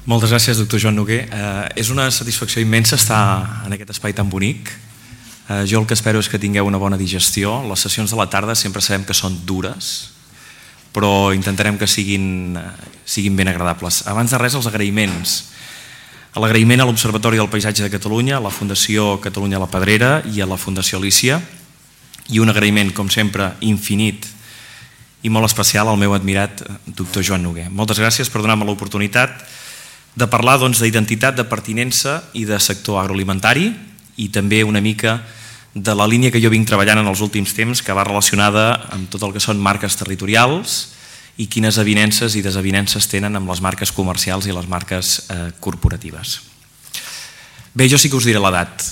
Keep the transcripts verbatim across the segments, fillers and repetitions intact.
Moltes gràcies, doctor Joan Noguer. Eh, és una satisfacció immensa estar en aquest espai tan bonic. Eh, jo el que espero és que tingueu una bona digestió. Les sessions de la tarda sempre sabem que són dures, però intentarem que siguin, siguin ben agradables. Abans de res, els agraïments. L'agraïment a l'Observatori del Paisatge de Catalunya, a la Fundació Catalunya la Pedrera i a la Fundació Alícia, i un agraïment, com sempre, infinit i molt especial al meu admirat doctor Joan Noguer. Moltes gràcies per donar-me l'oportunitat de parlar doncs, d'identitat, de pertinença i de sector agroalimentari, i també una mica de la línia que jo vinc treballant en els últims temps, que va relacionada amb tot el que són marques territorials i quines avinences i desavinences tenen amb les marques comercials i les marques eh, corporatives. Bé, jo sí que us diré l'edat,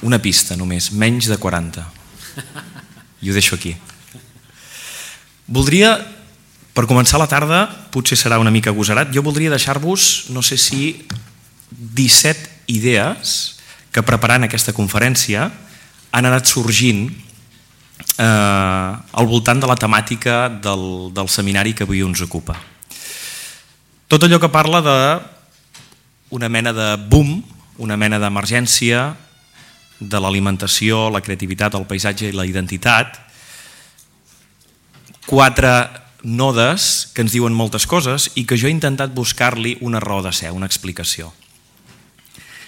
una pista només, menys de quaranta. I ho deixo aquí. Voldria, per començar la tarda, potser serà una mica agosarat, jo voldria deixar-vos, no sé si, disset idees que preparant aquesta conferència han anat sorgint eh, al voltant de la temàtica del, del seminari que avui ens ocupa. Tot allò que parla d'una mena de boom, una mena d'emergència de l'alimentació, la creativitat, el paisatge i la identitat, quatre nodes que ens diuen moltes coses i que jo he intentat buscar-li una raó de ser, una explicació.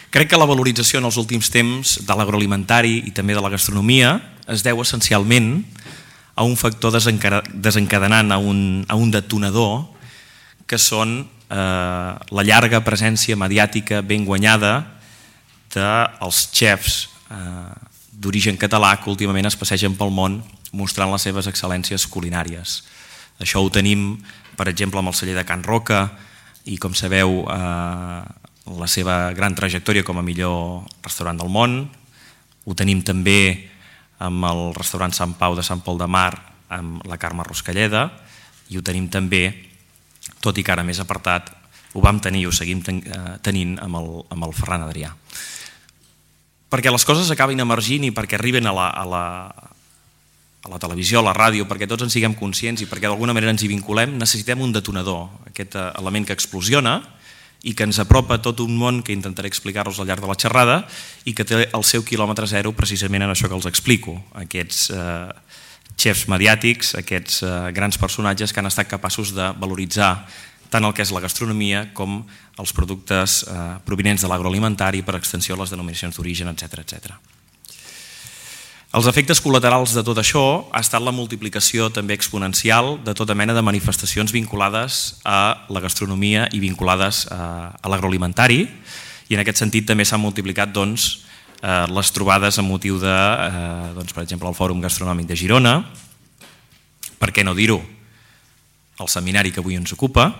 Crec que la valorització en els últims temps de l'agroalimentari i també de la gastronomia es deu essencialment a un factor desencadenant, a un, a un detonador, que són eh, la llarga presència mediàtica ben guanyada dels xefs eh, d'origen català que últimament es passegen pel món mostrant les seves excel·lències culinàries. Això ho tenim, per exemple, amb el celler de Can Roca i, com sabeu, eh, la seva gran trajectòria com a millor restaurant del món. Ho tenim també amb el restaurant Sant Pau de Sant Pol de Mar, amb la Carme Ruscalleda, i ho tenim també, tot i que ara més apartat, ho vam tenir i ho seguim tenint amb el, amb el Ferran Adrià. Perquè les coses acabin emergint i perquè arriben a la, a la, a la televisió, a la ràdio, perquè tots en siguem conscients i perquè d'alguna manera ens hi vinculem, necessitem un detonador, aquest element que explosiona i que ens apropa a tot un món que intentaré explicar-vos al llarg de la xerrada i que té el seu quilòmetre zero precisament en això que els explico, aquests eh, xefs mediàtics, aquests eh, grans personatges que han estat capaços de valoritzar tant el que és la gastronomia com els productes eh, provinents de l'agroalimentari, per extensió les denominacions d'origen, etcètera, etcètera. Els efectes col·laterals de tot això ha estat la multiplicació també exponencial de tota mena de manifestacions vinculades a la gastronomia i vinculades a l'agroalimentari, i en aquest sentit també s'han multiplicat doncs, les trobades amb motiu de, doncs, per exemple, el Fòrum Gastronòmic de Girona, per què no dir-ho, el seminari que avui ens ocupa,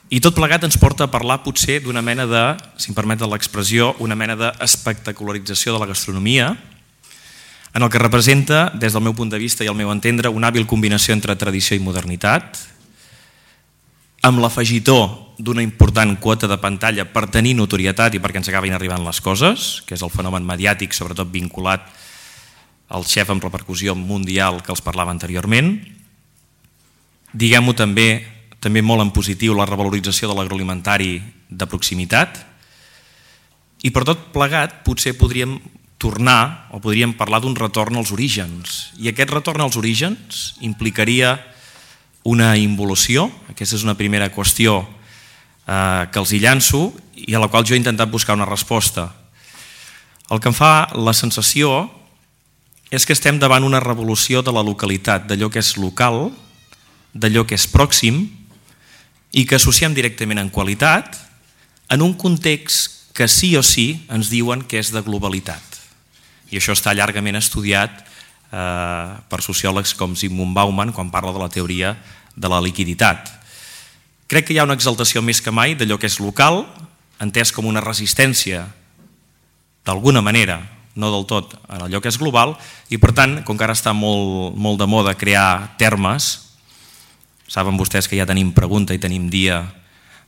i tot plegat ens porta a parlar potser d'una mena de, si em permet l'expressió, una mena d'espectacularització de la gastronomia, en el que representa, des del meu punt de vista i al meu entendre, una hàbil combinació entre tradició i modernitat, amb l'afegitó d'una important quota de pantalla per tenir notorietat i perquè ens acabin arribant les coses, que és el fenomen mediàtic, sobretot vinculat al xef amb repercussió mundial que els parlava anteriorment. Diguem-ho també, també molt en positiu, la revalorització de l'agroalimentari de proximitat, i per tot plegat potser podríem tornar o podríem parlar d'un retorn als orígens, i aquest retorn als orígens implicaria una involució. Aquesta és una primera qüestió eh, que els hi llanço i a la qual jo he intentat buscar una resposta. El que em fa la sensació és que estem davant una revolució de la localitat, d'allò que és local, d'allò que és pròxim i que associem directament en qualitat en un context que sí o sí ens diuen que és de globalitat. I això està llargament estudiat eh, per sociòlegs com Zygmunt Bauman quan parla de la teoria de la liquiditat. Crec que hi ha una exaltació més que mai d'allò que és local, entès com una resistència d'alguna manera, no del tot, en allò que és global, i per tant, com que ara està molt, molt de moda crear termes, saben vostès que ja tenim pregunta i tenim dia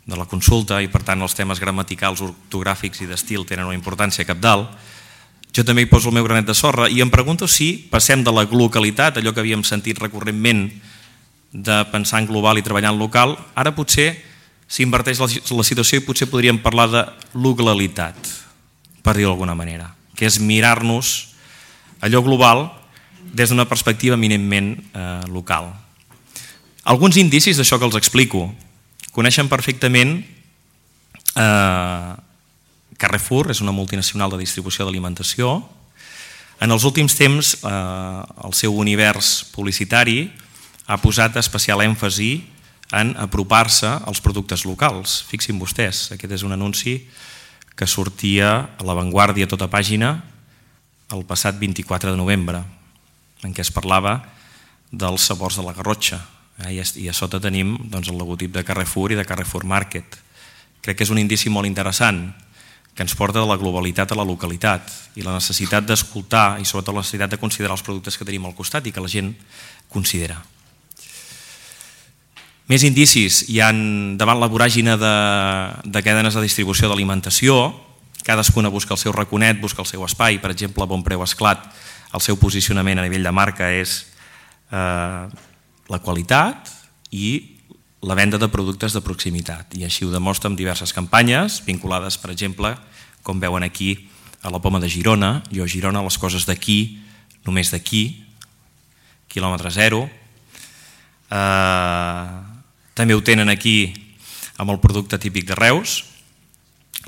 de la consulta i per tant els temes gramaticals, ortogràfics i d'estil tenen una importància cabdal, jo també hi poso el meu granet de sorra i em pregunto si passem de la globalitat, allò que havíem sentit recurrentment de pensar en global i treballar en local, ara potser s'inverteix la situació i potser podríem parlar de localitat, per dir-ho d'alguna manera, que és mirar-nos allò global des d'una perspectiva eminentment eh, local. Alguns indicis d'això que els explico. Coneixen perfectament eh, Carrefour, és una multinacional de distribució d'alimentació. En els últims temps eh, el seu univers publicitari ha posat especial èmfasi en apropar-se als productes locals. Fixin vostès, aquest és un anunci que sortia a La Vanguardia a tota pàgina el passat vint-i-quatre de novembre, en què es parlava dels sabors de la Garrotxa. I a sota tenim el logotip de Carrefour i de Carrefour Market. Crec que és un indici molt interessant que ens porta de la globalitat a la localitat i la necessitat d'escoltar i sobretot la necessitat de considerar els productes que tenim al costat i que la gent considera. Més indicis hi ha davant la voràgina de, de cadenes de distribució d'alimentació. Cadascuna busca el seu raconet, busca el seu espai. Per exemple, a Bon Preu Esclat, el seu posicionament a nivell de marca és eh, la qualitat i la venda de productes de proximitat. I així ho demostra amb diverses campanyes vinculades, per exemple, com veuen aquí, a la Poma de Girona. Jo a Girona, les coses d'aquí, només d'aquí, quilòmetre zero. Eh, també ho tenen aquí amb el producte típic de Reus.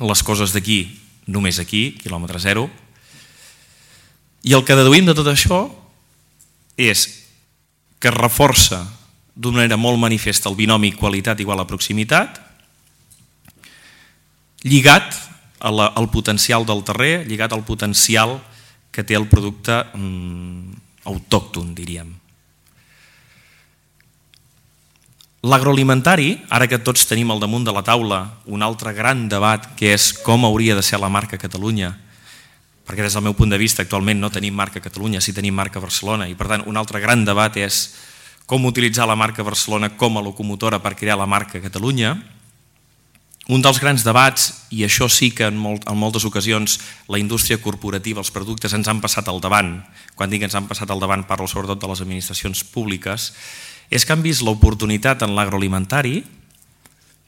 Les coses d'aquí, només aquí, quilòmetre zero. I el que deduïm de tot això és que es reforça d'una manera molt manifesta el binomi qualitat igual a proximitat, lligat a la, al potencial del terrer, lligat al potencial que té el producte mm, autòcton, diríem. L'agroalimentari, ara que tots tenim al damunt de la taula un altre gran debat que és com hauria de ser la marca Catalunya, perquè des del meu punt de vista actualment no tenim marca Catalunya, sí tenim marca Barcelona, i per tant un altre gran debat és com utilitzar la marca Barcelona com a locomotora per crear la marca Catalunya. Un dels grans debats, i això sí que en, molt, en moltes ocasions la indústria corporativa, els productes ens han passat al davant, quan dic ens han passat al davant parlo sobretot de les administracions públiques, és que han vist l'oportunitat en l'agroalimentari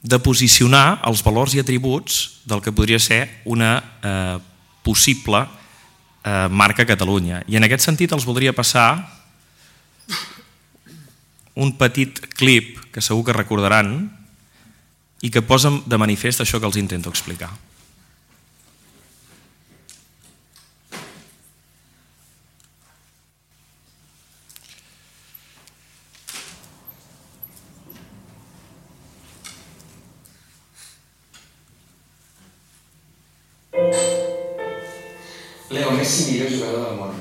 de posicionar els valors i atributs del que podria ser una eh, possible eh, marca Catalunya. I en aquest sentit els voldria passar un petit clip que segur que recordaran i que posa de manifest això que els intento explicar. Leo Messi, millor jugador del món.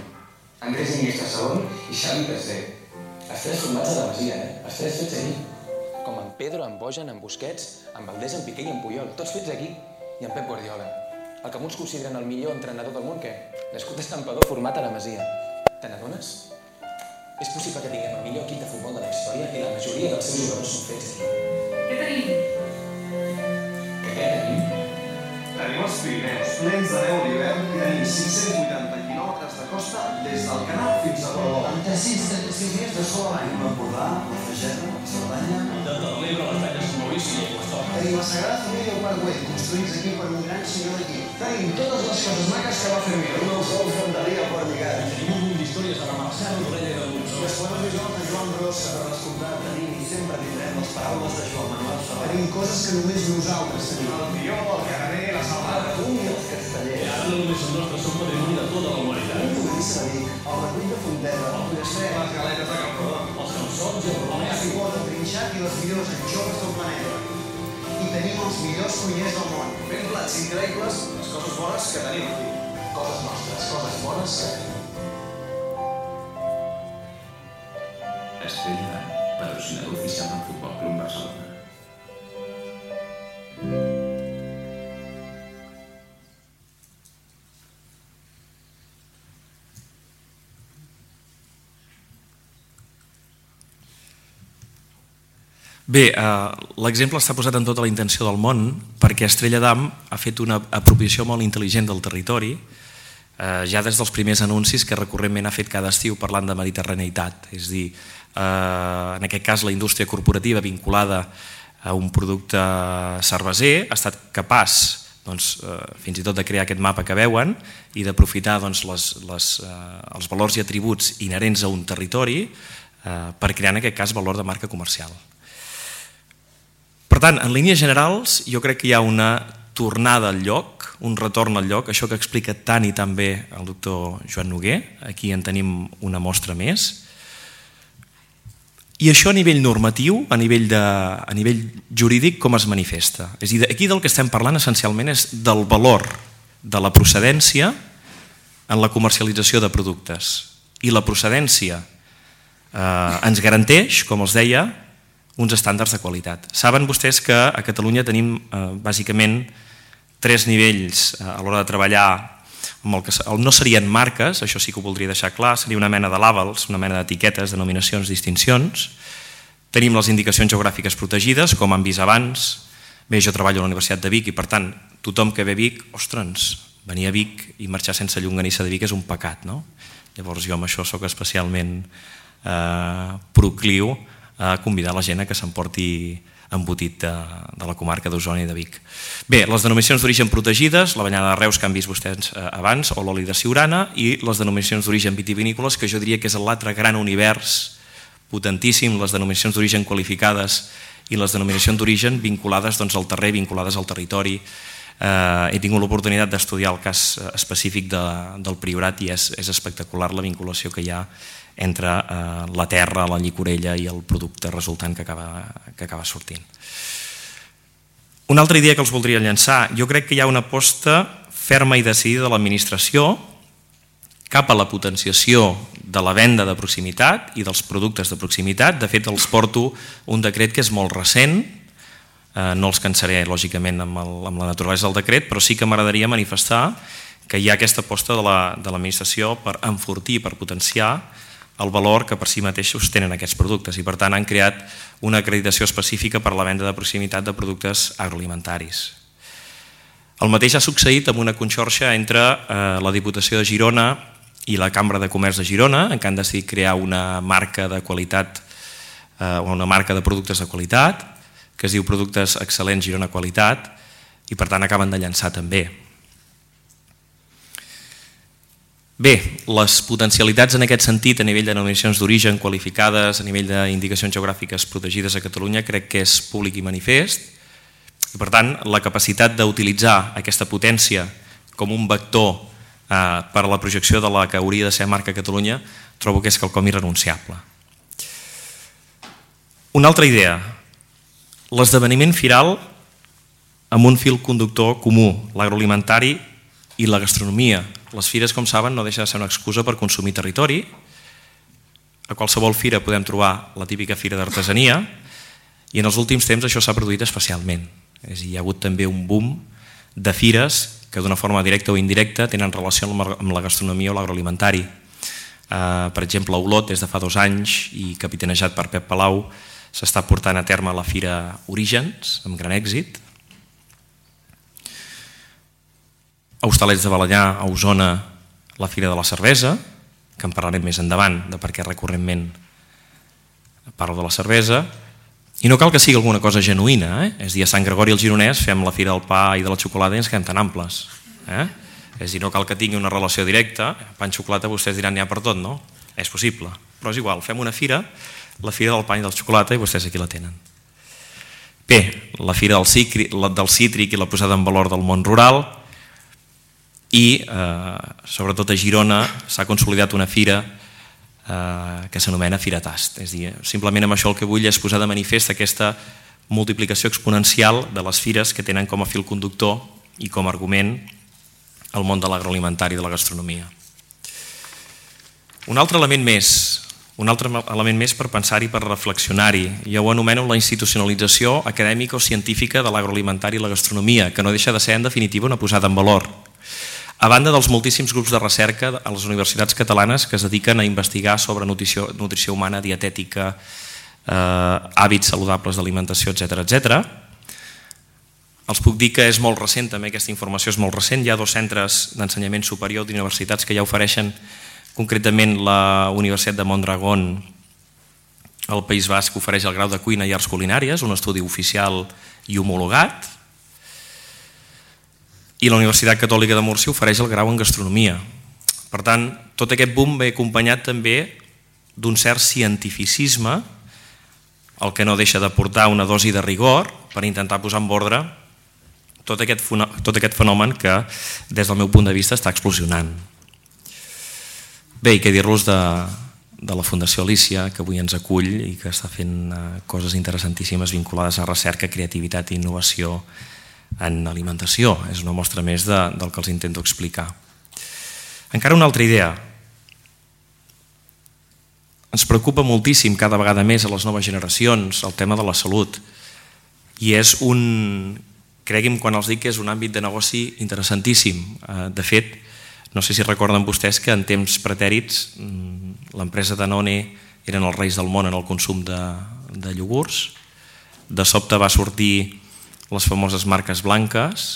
Andrés Iniesta segon i Xavi tercer. Els tres formats a la Masia, eh? Els tres fets aquí. Com en Pedro, en Bojan, en Busquets, en Valdés, en Piqué i en Puyol. Tots fets aquí. I en Pep Guardiola. El que molts consideren el millor entrenador del món, què? L'escut escampador format a la Masia. Te n'adones? És possible que tinguem el millor equip de futbol de la història i la majoria dels seus jugadors són fets aquí. Què tenim? Què tenim? Tenim els Pirineus, plens de neu a l'hivern i tenim cinc-cents vuitanta quilòmetres de costa des del Canal fins a Portbou. Amb tres-cents trenta-cinc dies de sol a l'any. L'Empordà, la Fageda, la Cerdanya... El Delta de l'Ebre, les Talles de Maurici i el Pastor. Tenim la Sagrada Família al Parc Güell, construïts aquí per un gran senyor d'aquí. Tenim totes les coses maques que va fer Mir, un dels sols d'Andalí al Port Lligat. Tenim un munt d'històries de la Marcel, d'Orella i del Montsó. Les poemes visuals de Joan Brossa, per l'escoltar tenim i sempre tindrem les paraules de Joan Manuel Serrat. Tenim coses que només nosaltres tenim. El Pió, el Caraner, la Salada, un i els Castellers. I ara no només són nostres, són patrimoni de tota la humanitat. Un Torrissa de Vic, el Recull de Fonteta, el Pollastre, les galetes de Camprodon, Els calçons i el romanès. la Cipota, el Trinxat i les millors anxoves del planeta. I tenim els millors cuiners del món. Fent plats increïbles, les coses bones que tenim aquí. Coses nostres, coses bones que tenim. Estrella d'Am, patrocinador oficial del Futbol Club Barcelona. Bé, eh, l'exemple està posat en tota la intenció del món perquè Estrella d'Am ha fet una apropiació molt intel·ligent del territori, eh, ja des dels primers anuncis que recurrentment ha fet cada estiu parlant de mediterraneïtat, és a dir, eh, en aquest cas la indústria corporativa vinculada un producte cerveser, ha estat capaç doncs, eh, fins i tot de crear aquest mapa que veuen i d'aprofitar doncs, les, les, eh, els valors i atributs inherents a un territori eh, per crear en aquest cas valor de marca comercial. Per tant, en línies generals, jo crec que hi ha una tornada al lloc, un retorn al lloc, això que explica tan i tan bé el doctor Joan Noguer, aquí en tenim una mostra més. I això a nivell normatiu, a nivell, de, a nivell jurídic, com es manifesta? És a dir, aquí del que estem parlant essencialment és del valor de la procedència en la comercialització de productes. I la procedència eh, ens garanteix, com els deia, uns estàndards de qualitat. Saben vostès que a Catalunya tenim eh, bàsicament tres nivells a l'hora de treballar amb el que no serien marques, això sí que ho voldria deixar clar, seria una mena de labels, una mena d'etiquetes, denominacions, distincions. Tenim les indicacions geogràfiques protegides, com han vist abans. Bé, jo treballo a la Universitat de Vic i per tant tothom que ve a Vic, ostres, venir a Vic i marxar sense llonganissa de Vic és un pecat, no? Llavors jo amb això sóc especialment eh, procliu a convidar la gent a que s'emporti embotit de, de la comarca d'Osona i de Vic. Bé, les denominacions d'origen protegides, la banyada de Reus que han vist vostès abans, o l'oli de Siurana, i les denominacions d'origen vitivinícoles, que jo diria que és l'altre gran univers potentíssim, les denominacions d'origen qualificades i les denominacions d'origen vinculades doncs, al terrer, vinculades al territori. Eh, he tingut l'oportunitat d'estudiar el cas específic de, del Priorat i és, és espectacular la vinculació que hi ha entre eh, la terra, la llicorella i el producte resultant que acaba, que acaba sortint. Una altra idea que els voldria llançar, jo crec que hi ha una aposta ferma i decidida de l'administració cap a la potenciació de la venda de proximitat i dels productes de proximitat. De fet, els porto un decret que és molt recent, eh, no els cansaré lògicament amb, el, amb la naturalesa del decret, però sí que m'agradaria manifestar que hi ha aquesta aposta de l'administració per enfortir, per potenciar el valor que per si mateixos tenen aquests productes i per tant han creat una acreditació específica per a la venda de proximitat de productes agroalimentaris. El mateix ha succeït amb una conxorxa entre eh, la Diputació de Girona i la Cambra de Comerç de Girona, en què han decidit crear una marca de qualitat eh, o una marca de productes de qualitat que es diu Productes Excel·lents Girona Qualitat i per tant acaben de llançar també. Bé, les potencialitats en aquest sentit a nivell de denominacions d'origen qualificades, a nivell d'indicacions geogràfiques protegides a Catalunya crec que és públic i manifest i per tant la capacitat d'utilitzar aquesta potència com un vector eh, per a la projecció de la que hauria de ser marca Catalunya trobo que és quelcom irrenunciable. Una altra idea, l'esdeveniment firal amb un fil conductor comú, l'agroalimentari i la gastronomia. Les fires, com saben, no deixa de ser una excusa per consumir territori. A qualsevol fira podem trobar la típica fira d'artesania i en els últims temps això s'ha produït especialment. És a dir, hi ha hagut també un boom de fires que d'una forma directa o indirecta tenen relació amb la gastronomia o l'agroalimentari. Uh, per exemple, a Olot, des de fa dos anys i capitanejat per Pep Palau, s'està portant a terme la Fira Orígens, amb gran èxit. A Hostalets de Balenyà, a Osona, la Fira de la Cervesa, que en parlarem més endavant de per què recurrentment parlo de la cervesa, i no cal que sigui alguna cosa genuïna, eh? És a dir, a Sant Gregori el Gironès fem la Fira del Pa i de la Xocolata i ens quedem tan amples. Eh? És a dir, no cal que tingui una relació directa, pa i xocolata vostès diran n'hi ha per tot, no? És possible, però és igual, fem una fira, la Fira del Pa i de la Xocolata i vostès aquí la tenen. Bé, la Fira del Cítric, del cítric i la posada en valor del món rural, i eh, sobretot a Girona s'ha consolidat una fira eh, que s'anomena Fira Tast. És a dir, simplement amb això el que vull és posar de manifest aquesta multiplicació exponencial de les fires que tenen com a fil conductor i com a argument el món de l'agroalimentari i de la gastronomia. Un altre element més, un altre element més per pensar-hi, per reflexionar-hi, jo ho anomeno la institucionalització acadèmica o científica de l'agroalimentari i la gastronomia, que no deixa de ser en definitiva una posada en valor. A banda dels moltíssims grups de recerca a les universitats catalanes que es dediquen a investigar sobre nutrició, nutrició humana, dietètica, eh, hàbits saludables d'alimentació, etcètera, etcètera. Els puc dir que és molt recent, també aquesta informació és molt recent. Hi ha dos centres d'ensenyament superior d'universitats que ja ofereixen, concretament la Universitat de Mondragón El País Basc ofereix el grau de Cuina i Arts Culinàries, un estudi oficial i homologat, i la Universitat Catòlica de Múrcia ofereix el grau en Gastronomia. Per tant, tot aquest boom ve acompanyat també d'un cert cientificisme, el que no deixa de portar una dosi de rigor per intentar posar en ordre tot aquest, tot aquest fenomen que, des del meu punt de vista, està explosionant. Bé, i què dir-los de, de la Fundació Alícia, que avui ens acull i que està fent coses interessantíssimes vinculades a recerca, creativitat i innovació en alimentació. És una mostra més de, del que els intento explicar. Encara una altra idea. Ens preocupa moltíssim cada vegada més a les noves generacions el tema de la salut i és un, cregui'm quan els dic que és un àmbit de negoci interessantíssim. De fet, no sé si recorden vostès que en temps pretèrits l'empresa Danone eren els reis del món en el consum de, de iogurts. De sobte va sortir les famoses marques blanques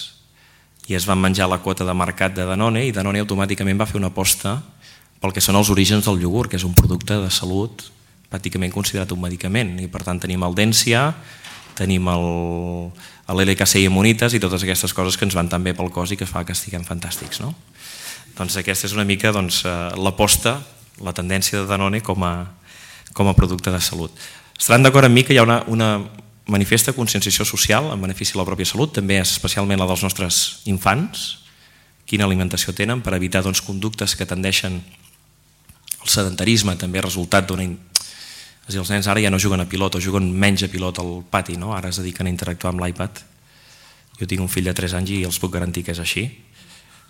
i es van menjar la quota de mercat de Danone i Danone automàticament va fer una aposta pel que són els orígens del iogurt, que és un producte de salut pràcticament considerat un medicament. I per tant tenim el Dència, tenim l'L K C i Immunitas i totes aquestes coses que ens van tan bé pel cos i que fa que estiguem fantàstics. No? Doncs aquesta és una mica doncs, l'aposta, la tendència de Danone com a, com a producte de salut. Estaran d'acord amb mi que hi ha una, una manifesta conscienciació social en benefici de la pròpia salut, també especialment la dels nostres infants, quina alimentació tenen per evitar doncs, conductes que tendeixen el sedentarisme, també resultat d'una... És a dir, els nens ara ja no juguen a pilot o juguen menys a pilot al pati, no? Ara es dediquen a interactuar amb l'iPad. Jo tinc un fill de tres anys i els puc garantir que és així,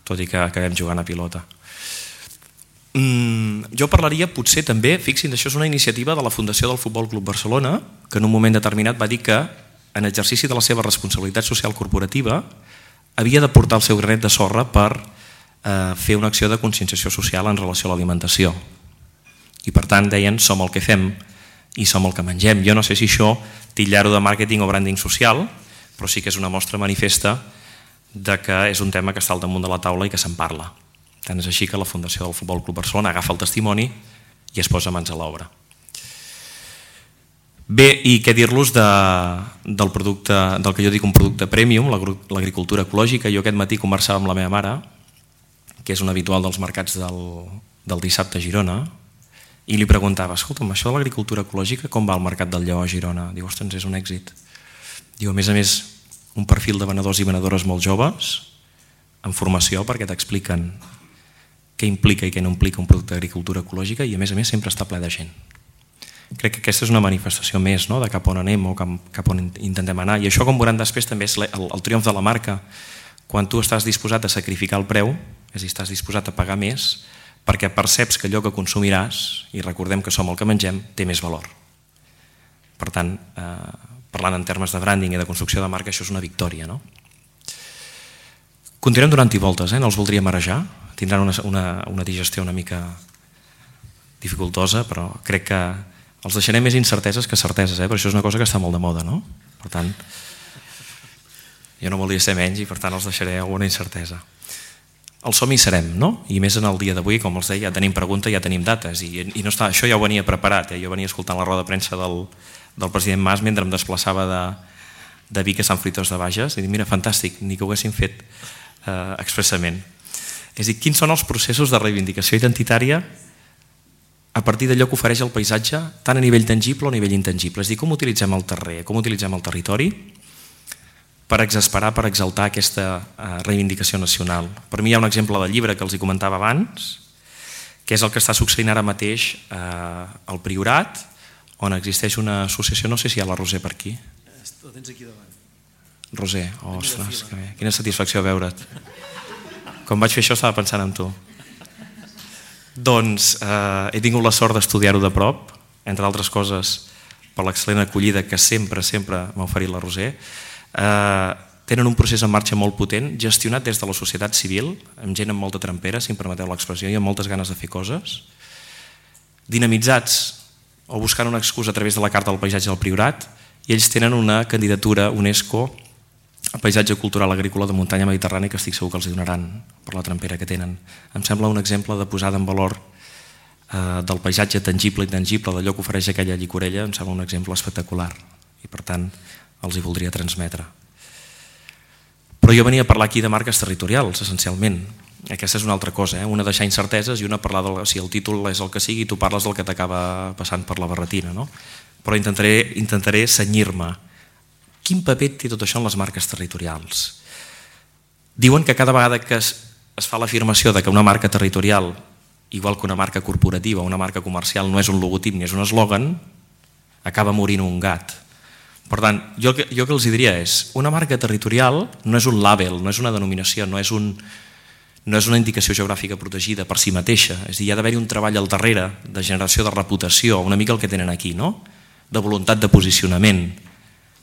tot i que acabem jugant a pilota. Mm, jo parlaria potser també, fixin, això és una iniciativa de la Fundació del Futbol Club Barcelona, que en un moment determinat va dir que en exercici de la seva responsabilitat social corporativa havia de portar el seu granet de sorra per eh, fer una acció de conscienciació social en relació a l'alimentació. I per tant deien som el que fem i som el que mengem. Jo no sé si això titllar-ho de màrqueting o branding social, però sí que és una mostra manifesta de que és un tema que està al damunt de la taula i que se'n parla. Tant és així que la Fundació del Futbol Club Barcelona agafa el testimoni i es posa mans a l'obra. Bé, i què dir-los de, del producte, del que jo dic un producte premium, l'agricultura ecològica. Jo aquest matí conversava amb la meva mare, que és un habitual dels mercats del, del dissabte a Girona, i li preguntava, escolta'm, això de l'agricultura ecològica com va al mercat del Lleó a Girona? Diu, ostres, és un èxit. Diu, a més a més, un perfil de venedors i venedores molt joves, en formació, perquè t'expliquen què implica i què no implica un producte d'agricultura ecològica i a més a més sempre està ple de gent. Crec que aquesta és una manifestació més, no?, de cap on anem o cap on intentem anar. I això, com veuran després, també és el, el triomf de la marca. Quan tu estàs disposat a sacrificar el preu, és a dir, estàs disposat a pagar més, perquè perceps que allò que consumiràs, i recordem que som el que mengem, té més valor. Per tant, eh, parlant en termes de branding i de construcció de marca, això és una victòria, no? Continuem donant-hi voltes, eh? No els voldria marejar, tindran una, una, una digestió una mica dificultosa, però crec que els deixaré més incerteses que certeses, eh? Però això és una cosa que està molt de moda, no? Per tant, jo no volia ser menys i per tant els deixaré alguna incertesa. El som hi serem, no? I més en el dia d'avui, com els deia, ja tenim pregunta, ja tenim dates i, i no està, això ja ho venia preparat, eh? Jo venia escoltant la roda de premsa del, del president Mas mentre em desplaçava de, de Vic a Sant Fruitós de Bages i dic, mira, fantàstic, ni que ho haguéssim fet eh, expressament. És a dir, quins són els processos de reivindicació identitària a partir d'allò que ofereix el paisatge, tant a nivell tangible o a nivell intangible? És a dir, com utilitzem el terrer, com utilitzem el territori per exasperar, per exaltar aquesta eh, reivindicació nacional. Per mi hi ha un exemple del llibre que els hi comentava abans, que és el que està succeint ara mateix eh, al Priorat, on existeix una associació, no sé si hi ha la Roser per aquí. Ho tens aquí davant. Roser, ostres, que bé. Quina satisfacció veure't. Quan vaig fer això estava pensant en tu. Doncs eh, he tingut la sort d'estudiar-ho de prop, entre altres coses per l'excel·lent acollida que sempre, sempre m'ha oferit la Roser. Eh, tenen un procés en marxa molt potent, gestionat des de la societat civil, amb gent amb molta trempera, si em permeteu l'expressió, i amb moltes ganes de fer coses, dinamitzats o buscant una excusa a través de la Carta del Paisatge del Priorat, i ells tenen una candidatura UNESCO a Paisatge Cultural Agrícola de Muntanya Mediterrània que estic segur que els donaran per la trempera que tenen. Em sembla un exemple de posada en valor eh, del paisatge tangible i intangible, d'allò que ofereix aquella llicorella, em sembla un exemple espectacular i per tant els hi voldria transmetre. Però jo venia a parlar aquí de marques territorials, essencialment. Aquesta és una altra cosa, eh? Una deixar incerteses i una parlar del... Si el títol és el que sigui, tu parles del que t'acaba passant per la barretina, no? Però intentaré, intentaré cenyir-me. Quin paper té tot això en les marques territorials? Diuen que cada vegada que es, es fa l'afirmació de que una marca territorial, igual que una marca corporativa o una marca comercial, no és un logotip ni és un eslògan, acaba morint un gat. Per tant, jo, jo que els diria és, una marca territorial no és un label, no és una denominació, no és, un, no és una indicació geogràfica protegida per si mateixa. És a dir, hi ha d'haver-hi un treball al darrere de generació de reputació, una mica el que tenen aquí, no? De voluntat de posicionament,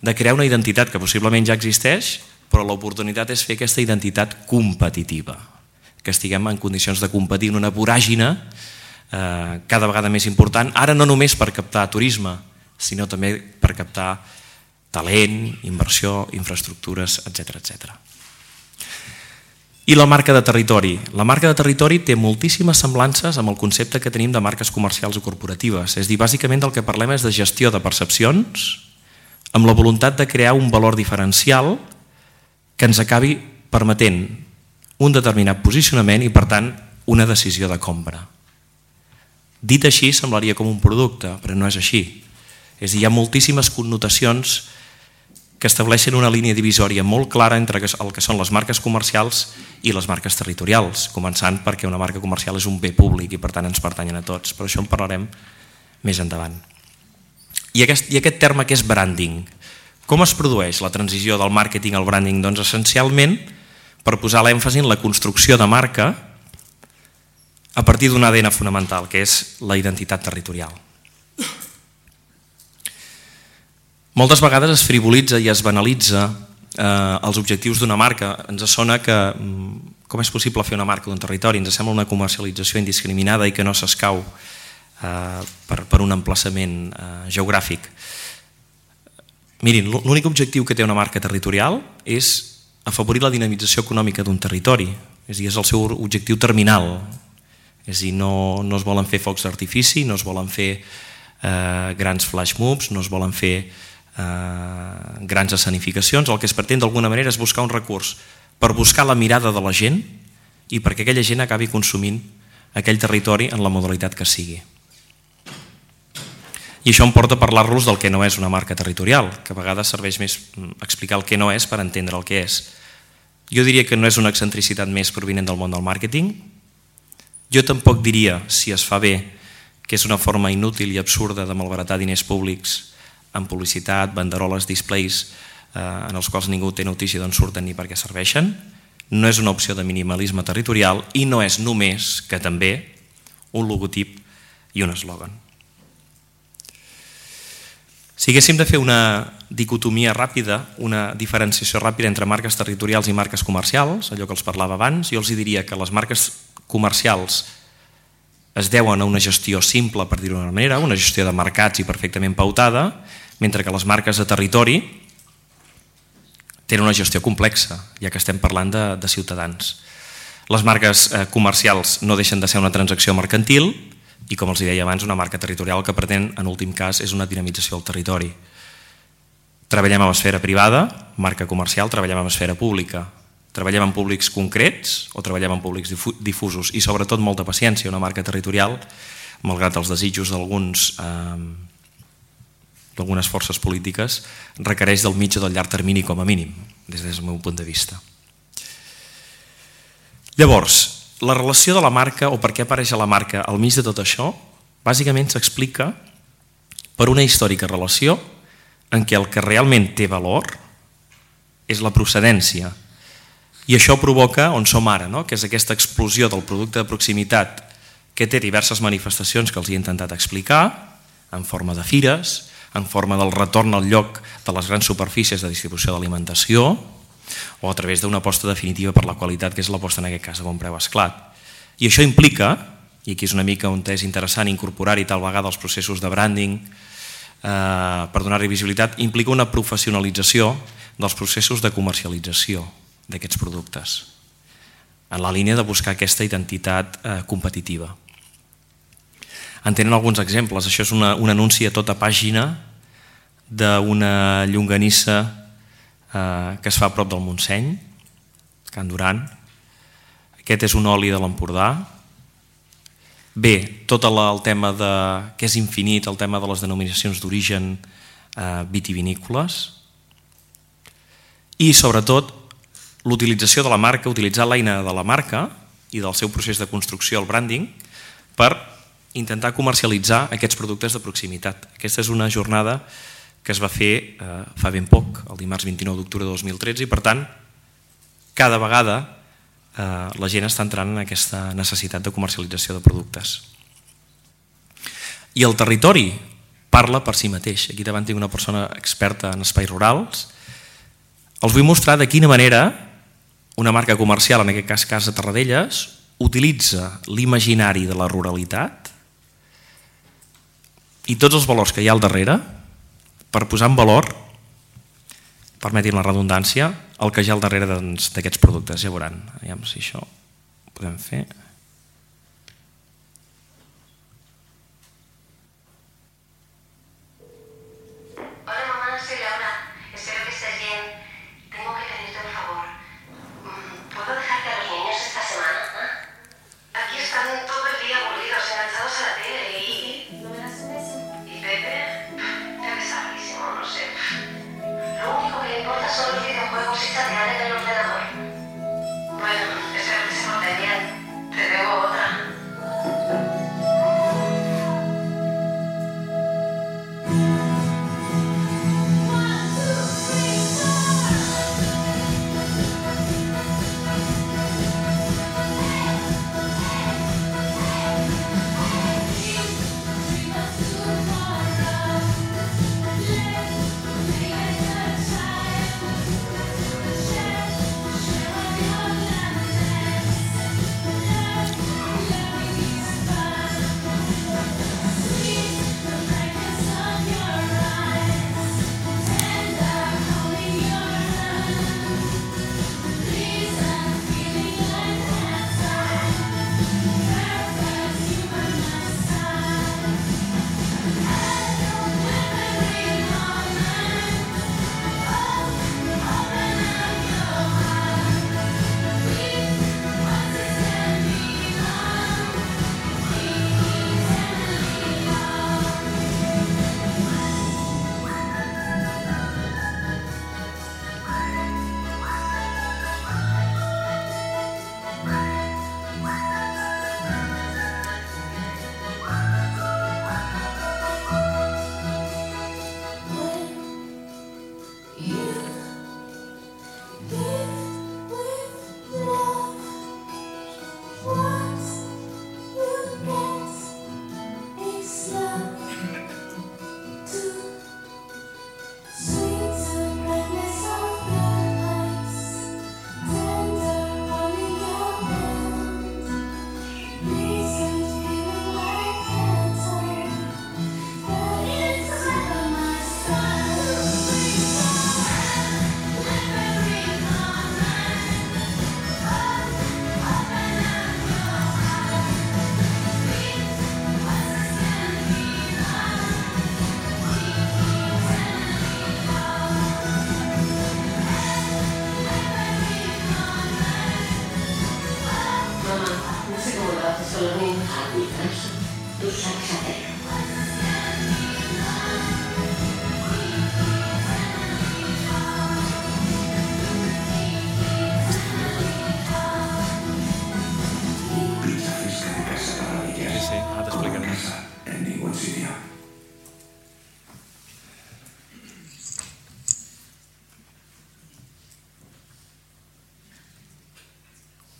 de crear una identitat que possiblement ja existeix, però l'oportunitat és fer aquesta identitat competitiva, que estiguem en condicions de competir en una voràgine eh, cada vegada més important, ara no només per captar turisme, sinó també per captar talent, inversió, infraestructures, etcètera, etcètera. I la marca de territori. La marca de territori té moltíssimes semblances amb el concepte que tenim de marques comercials o corporatives. És a dir, bàsicament del que parlem és de gestió de percepcions amb la voluntat de crear un valor diferencial que ens acabi permetent un determinat posicionament i, per tant, una decisió de compra. Dit així, semblaria com un producte, però no és així. És a dir, hi ha moltíssimes connotacions que estableixen una línia divisòria molt clara entre el que són les marques comercials i les marques territorials, començant perquè una marca comercial és un bé públic i per tant ens pertanyen a tots, però això en parlarem més endavant. I aquest, i aquest terme que és branding, com es produeix la transició del màrqueting al branding? Doncs essencialment per posar l'èmfasi en la construcció de marca a partir d'un A D N fonamental, que és la identitat territorial. Moltes vegades es frivolitza i es banalitza eh, els objectius d'una marca. Ens sona que com és possible fer una marca d'un territori? Ens sembla una comercialització indiscriminada i que no s'escau eh, per, per un emplaçament eh, geogràfic. Mirin, l'únic objectiu que té una marca territorial és afavorir la dinamització econòmica d'un territori. És a dir, és el seu objectiu terminal. És a dir, no, no es volen fer focs d'artifici, no es volen fer eh, grans flash mobs, no es volen fer Uh, grans escenificacions. El que es pretén d'alguna manera és buscar un recurs per buscar la mirada de la gent i perquè aquella gent acabi consumint aquell territori en la modalitat que sigui. I això em porta a parlar-los del que no és una marca territorial, que a vegades serveix més explicar el que no és per entendre el que és. Jo diria que no és una excentricitat més provinent del món del màrqueting. Jo tampoc diria, si es fa bé, que és una forma inútil i absurda de malbaratar diners públics en publicitat, banderoles, displays, eh, en els quals ningú té notícia d'on surten ni per què serveixen. No és una opció de minimalisme territorial i no és només, que també, un logotip i un eslògan. Si haguéssim de fer una dicotomia ràpida, una diferenciació ràpida entre marques territorials i marques comercials, allò que els parlava abans, jo els diria que les marques comercials es deuen a una gestió simple, per dir-ho d'una manera, una gestió de mercats i perfectament pautada, mentre que les marques de territori tenen una gestió complexa, ja que estem parlant de, de ciutadans. Les marques eh, comercials no deixen de ser una transacció mercantil i, com els deia abans, una marca territorial que pretén, en últim cas, és una dinamització del territori. Treballem amb esfera privada, marca comercial, treballem amb esfera pública. Treballem en públics concrets o treballem en públics difusos i sobretot molta paciència. Una marca territorial, malgrat els desitjos d'alguns eh, d'algunes forces polítiques, requereix del mig o del llarg termini com a mínim, des del meu punt de vista. Llavors, la relació de la marca o per què apareix a la marca al mig de tot això, bàsicament s'explica per una històrica relació en què el que realment té valor és la procedència. I això provoca on som ara, no? Que és aquesta explosió del producte de proximitat que té diverses manifestacions que els he intentat explicar, en forma de fires, en forma del retorn al lloc de les grans superfícies de distribució d'alimentació o a través d'una aposta definitiva per la qualitat, que és l'aposta en aquest cas de bon preu esclat. I això implica, i aquí és una mica on és interessant incorporar-hi tal vegada els processos de branding eh, per donar-hi visibilitat, implica una professionalització dels processos de comercialització d'aquests productes, en la línia de buscar aquesta identitat eh, competitiva. En tenen alguns exemples. Això és una, un anunci a tota pàgina d'una llonganissa eh, que es fa a prop del Montseny, Can Duran. Aquest és un oli de l'Empordà. Bé, tot el tema de, que és infinit, el tema de les denominacions d'origen eh, vitivinícoles i sobretot l'utilització de la marca, utilitzar l'eina de la marca i del seu procés de construcció, el branding, per intentar comercialitzar aquests productes de proximitat. Aquesta és una jornada que es va fer eh, fa ben poc, el dimarts vint-i-nou d'octubre de dos mil tretze, i per tant, cada vegada eh, la gent està entrant en aquesta necessitat de comercialització de productes. I el territori parla per si mateix. Aquí davant tinc una persona experta en espais rurals. Els vull mostrar de quina manera una marca comercial, en aquest cas Casa Terradellas, utilitza l'imaginari de la ruralitat i tots els valors que hi ha al darrere per posar en valor, permetin la redundància, el que hi ha al darrere d'aquests productes. Ja veuran, aviam si això ho podem fer. Hola mamá, soy Laura. Espero que estés bien. Tengo que pedirte un favor. ¿Puedo dejarte a los niños esta semana? Aquí están todo el día aburridos, enganchados a la tele y... ¿No me das un beso? ¿Y Pepe? Debe estar malísimo, no sé. Lo único que le importa son los videojuegos y chatear en el ordenador. Bueno, espero que se porten bien. Te debo otra.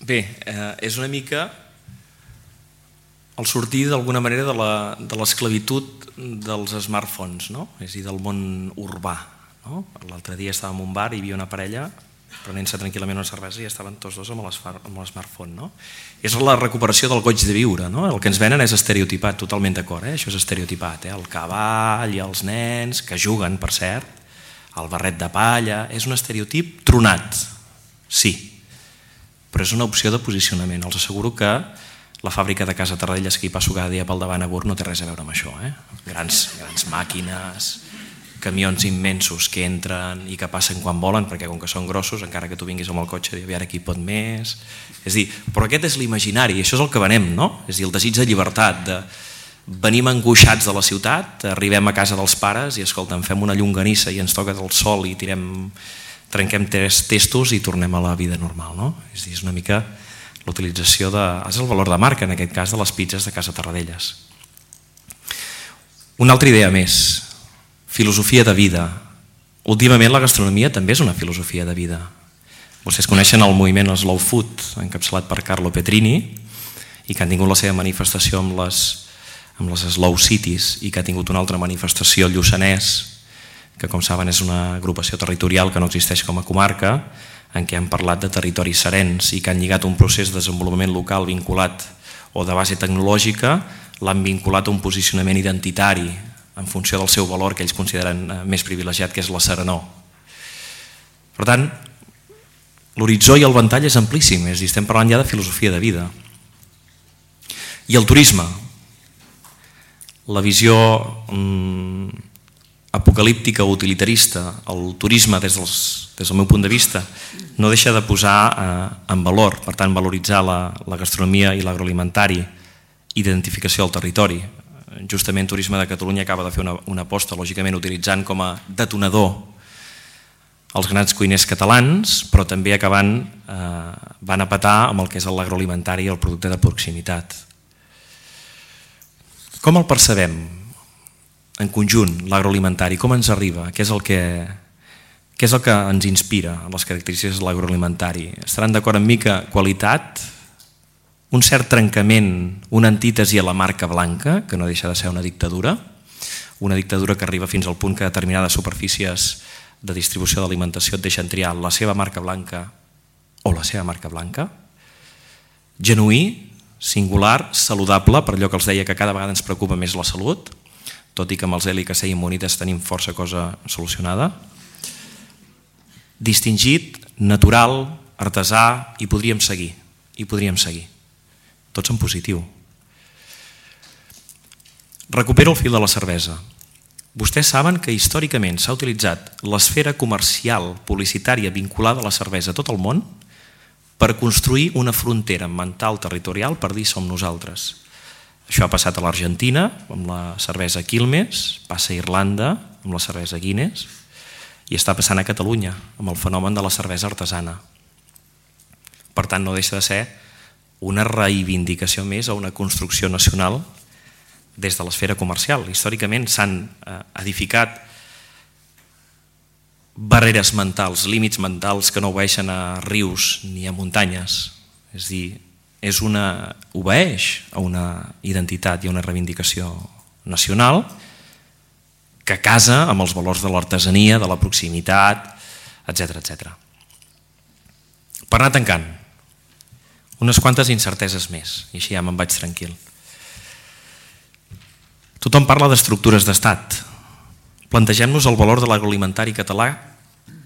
Bé, eh, és una mica el sortir d'alguna manera de l'esclavitud dels smartphones, no? És a dir, del món urbà. No? L'altre dia estàvem en un bar i hi havia una parella prenent-se tranquil·lament una cervesa i estaven tots dos amb l'smartphone. No? És la recuperació del goig de viure. No? El que ens venen és estereotipat, totalment d'acord, eh? Això és estereotipat. Eh? El cavall i els nens, que juguen, per cert, el barret de palla, és un estereotip tronat, sí, però és una opció de posicionament. Els asseguro que La fàbrica de Casa Tarradellas que hi passo cada dia pel davant a Gurb no té res a veure amb això, eh? Grans, grans màquines, camions immensos que entren i que passen quan volen, perquè com que són grossos, encara que tu vinguis amb el cotxe, a veure qui pot més... És dir, però aquest és l'imaginari, això és el que venem, no? És dir, el desig de llibertat, de venim angoixats de la ciutat, arribem a casa dels pares i escolta, fem una llonganissa i ens toca el sol i tirem, trenquem tres testos i tornem a la vida normal, no? És dir, és una mica l'utilització de... És el valor de marca, en aquest cas, de les pizzas de Casa Tarradellas. Una altra idea més, filosofia de vida. Últimament la gastronomia també és una filosofia de vida. Vostès coneixen el moviment Slow Food, encapçalat per Carlo Petrini, i que han tingut la seva manifestació amb les, amb les Slow Cities, i que ha tingut una altra manifestació al Lluçanès, que com saben és una agrupació territorial que no existeix com a comarca, en què han parlat de territoris serens i que han lligat un procés de desenvolupament local vinculat o de base tecnològica, l'han vinculat a un posicionament identitari en funció del seu valor que ells consideren més privilegiat, que és la serenor. Per tant, l'horitzó i el ventall és amplíssim, és a dir, estem parlant ja de filosofia de vida. I el turisme, la visió mm, apocalíptica o utilitarista, el turisme des, dels, des del meu punt de vista no deixa de posar eh, en valor, per tant valoritzar la, la gastronomia i l'agroalimentari, identificació del territori. Justament Turisme de Catalunya acaba de fer una, una aposta, lògicament utilitzant com a detonador els grans cuiners catalans, però també acabant eh, van a petar amb el que és l'agroalimentari i el producte de proximitat. Com el percebem en conjunt, l'agroalimentari? Com ens arriba? Què és el que, què és el que ens inspira en les característiques de l'agroalimentari? Estaran d'acord amb mi que qualitat, un cert trencament, una antítesi a la marca blanca, que no deixa de ser una dictadura, una dictadura que arriba fins al punt que determinades superfícies de distribució d'alimentació et deixen triar la seva marca blanca o la seva marca blanca, genuí, singular, saludable, per allò que els deia que cada vegada ens preocupa més la salut, tot i que amb els L I C C i Immunitas tenim força cosa solucionada, distingit, natural, artesà, i podríem seguir, i podríem seguir, tots en positiu. Recupero el fil de la cervesa. Vostès saben que històricament s'ha utilitzat l'esfera comercial publicitària vinculada a la cervesa a tot el món per construir una frontera mental territorial per dir som nosaltres. Això ha passat a l'Argentina amb la cervesa Quilmes, passa a Irlanda amb la cervesa Guinness i està passant a Catalunya amb el fenomen de la cervesa artesana. Per tant, no deixa de ser una reivindicació més a una construcció nacional des de l'esfera comercial. Històricament s'han edificat barreres mentals, límits mentals que no obeeixen a rius ni a muntanyes. És a dir, és una, obeeix a una identitat i a una reivindicació nacional que casa amb els valors de l'artesania, de la proximitat, etcètera, etcètera. Per anar tancant, unes quantes incerteses més, i així ja me'n vaig tranquil. Tothom parla d'estructures d'estat. Plantegem-nos el valor de l'agroalimentari català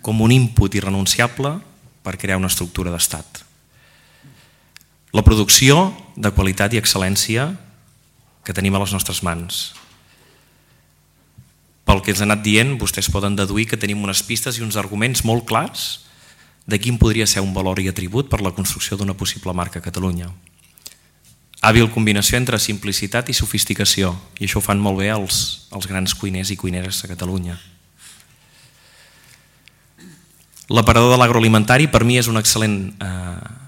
com un input irrenunciable per crear una estructura d'estat. La producció de qualitat i excel·lència que tenim a les nostres mans. Pel que ens ha anat dient, vostès poden deduir que tenim unes pistes i uns arguments molt clars de quin podria ser un valor i atribut per la construcció d'una possible marca a Catalunya. Hàbil combinació entre simplicitat i sofisticació, i això ho fan molt bé els, els grans cuiners i cuineres a Catalunya. L'aparador de l'agroalimentari per mi és un excel·lent eh,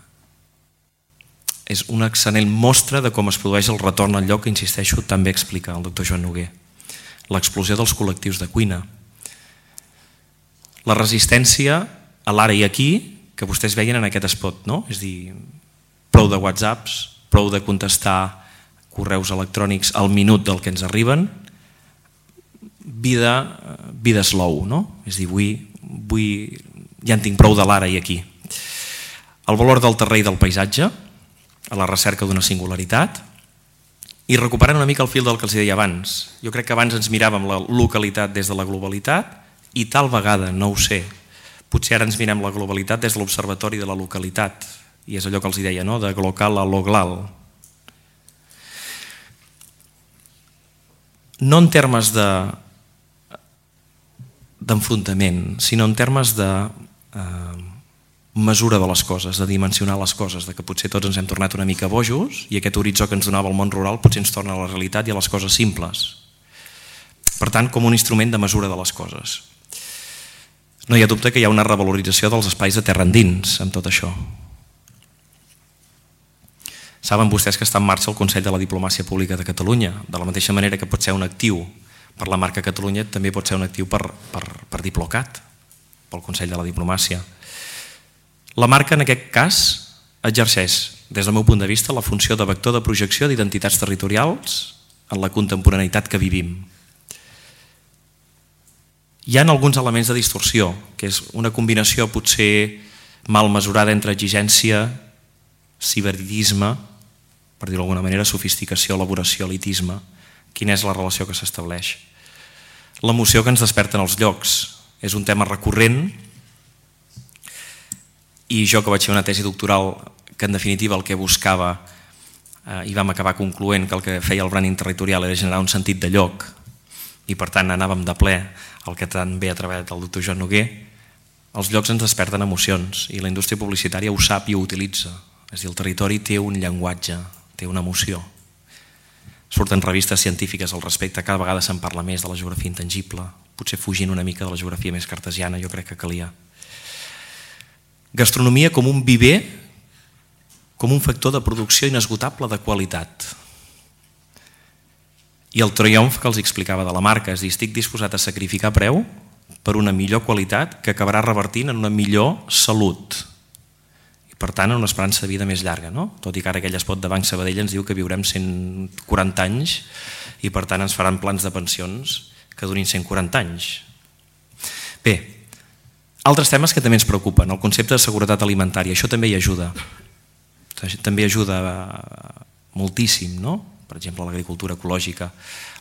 és una excel·lent mostra de com es produeix el retorn al lloc que, insisteixo, també explica el doctor Joan Noguer. L'explosió dels col·lectius de cuina. La resistència a l'ara i aquí que vostès veien en aquest spot, no? És a dir, prou de whatsapps, prou de contestar correus electrònics al minut del que ens arriben, vida, vida slow, no? És a dir, vull, vull, ja en tinc prou de l'ara i aquí. El valor del terreny i del paisatge, a la recerca d'una singularitat, i recuperant una mica el fil del que els deia abans. Jo crec que abans ens miràvem la localitat des de la globalitat i tal vegada, no ho sé, potser ara ens mirem la globalitat des de l'observatori de la localitat, i és allò que els deia, no? De glocal a loglal. no en termes de d'enfrontament, sinó en termes de eh, mesura de les coses, de dimensionar les coses, de que potser tots ens hem tornat una mica bojos i aquest horitzó que ens donava el món rural potser ens torna a la realitat i a les coses simples. Per tant, com un instrument de mesura de les coses. No hi ha dubte que hi ha una revalorització dels espais de terra endins amb tot això. Saben vostès que està en marxa el Consell de la Diplomàcia Pública de Catalunya, de la mateixa manera que pot ser un actiu per la marca Catalunya, també pot ser un actiu per, per, per Diplocat, pel Consell de la Diplomàcia. La marca, en aquest cas, exerceix, des del meu punt de vista, la funció de vector de projecció d'identitats territorials en la contemporaneïtat que vivim. Hi ha alguns elements de distorsió, que és una combinació potser mal mesurada entre exigència, ciberdisme, per dir-ho d'alguna manera, sofisticació, elaboració, elitisme. Quina és la relació que s'estableix? L'emoció que ens desperten els llocs és un tema recurrent i jo que vaig fer una tesi doctoral que en definitiva el que buscava eh, i vam acabar concloent que el que feia el branding territorial era generar un sentit de lloc i per tant anàvem de ple al que tan bé ha treballat el doctor Joan Noguer. Els llocs ens desperten emocions i la indústria publicitària ho sap i ho utilitza. És a dir, el territori té un llenguatge, té una emoció. Surten revistes científiques al respecte, cada vegada se'n parla més de la geografia intangible, potser fugint una mica de la geografia més cartesiana, jo crec que calia. Gastronomia com un viver, com un factor de producció inesgotable de qualitat. I el triomf que els explicava de la marca, és a dir, estic disposat a sacrificar preu per una millor qualitat que acabarà revertint en una millor salut. Per tant, una esperança de vida més llarga, no? Tot i que ara aquell espot de Banc Sabadell ens diu que viurem cent quaranta anys i per tant ens faran plans de pensions que durin cent quaranta anys. Bé, altres temes que també ens preocupen, el concepte de seguretat alimentària, això també hi ajuda. També ajuda moltíssim, no? Per exemple, l'agricultura ecològica.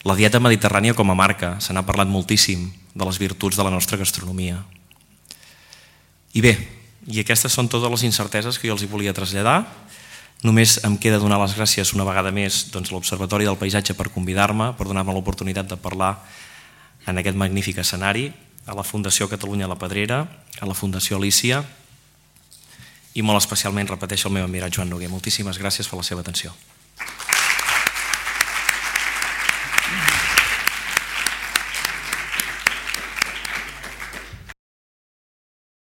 La dieta mediterrània com a marca, se n'ha parlat moltíssim de les virtuts de la nostra gastronomia. I bé, i aquestes són totes les incerteses que jo els hi volia traslladar. Només em queda donar les gràcies una vegada més doncs, a l'Observatori del Paisatge per convidar-me, per donar-me l'oportunitat de parlar en aquest magnífic escenari, a la Fundació Catalunya La Pedrera, a la Fundació Alícia i molt especialment, repeteixo, el meu admirat Joan Noguer. Moltíssimes gràcies per la seva atenció.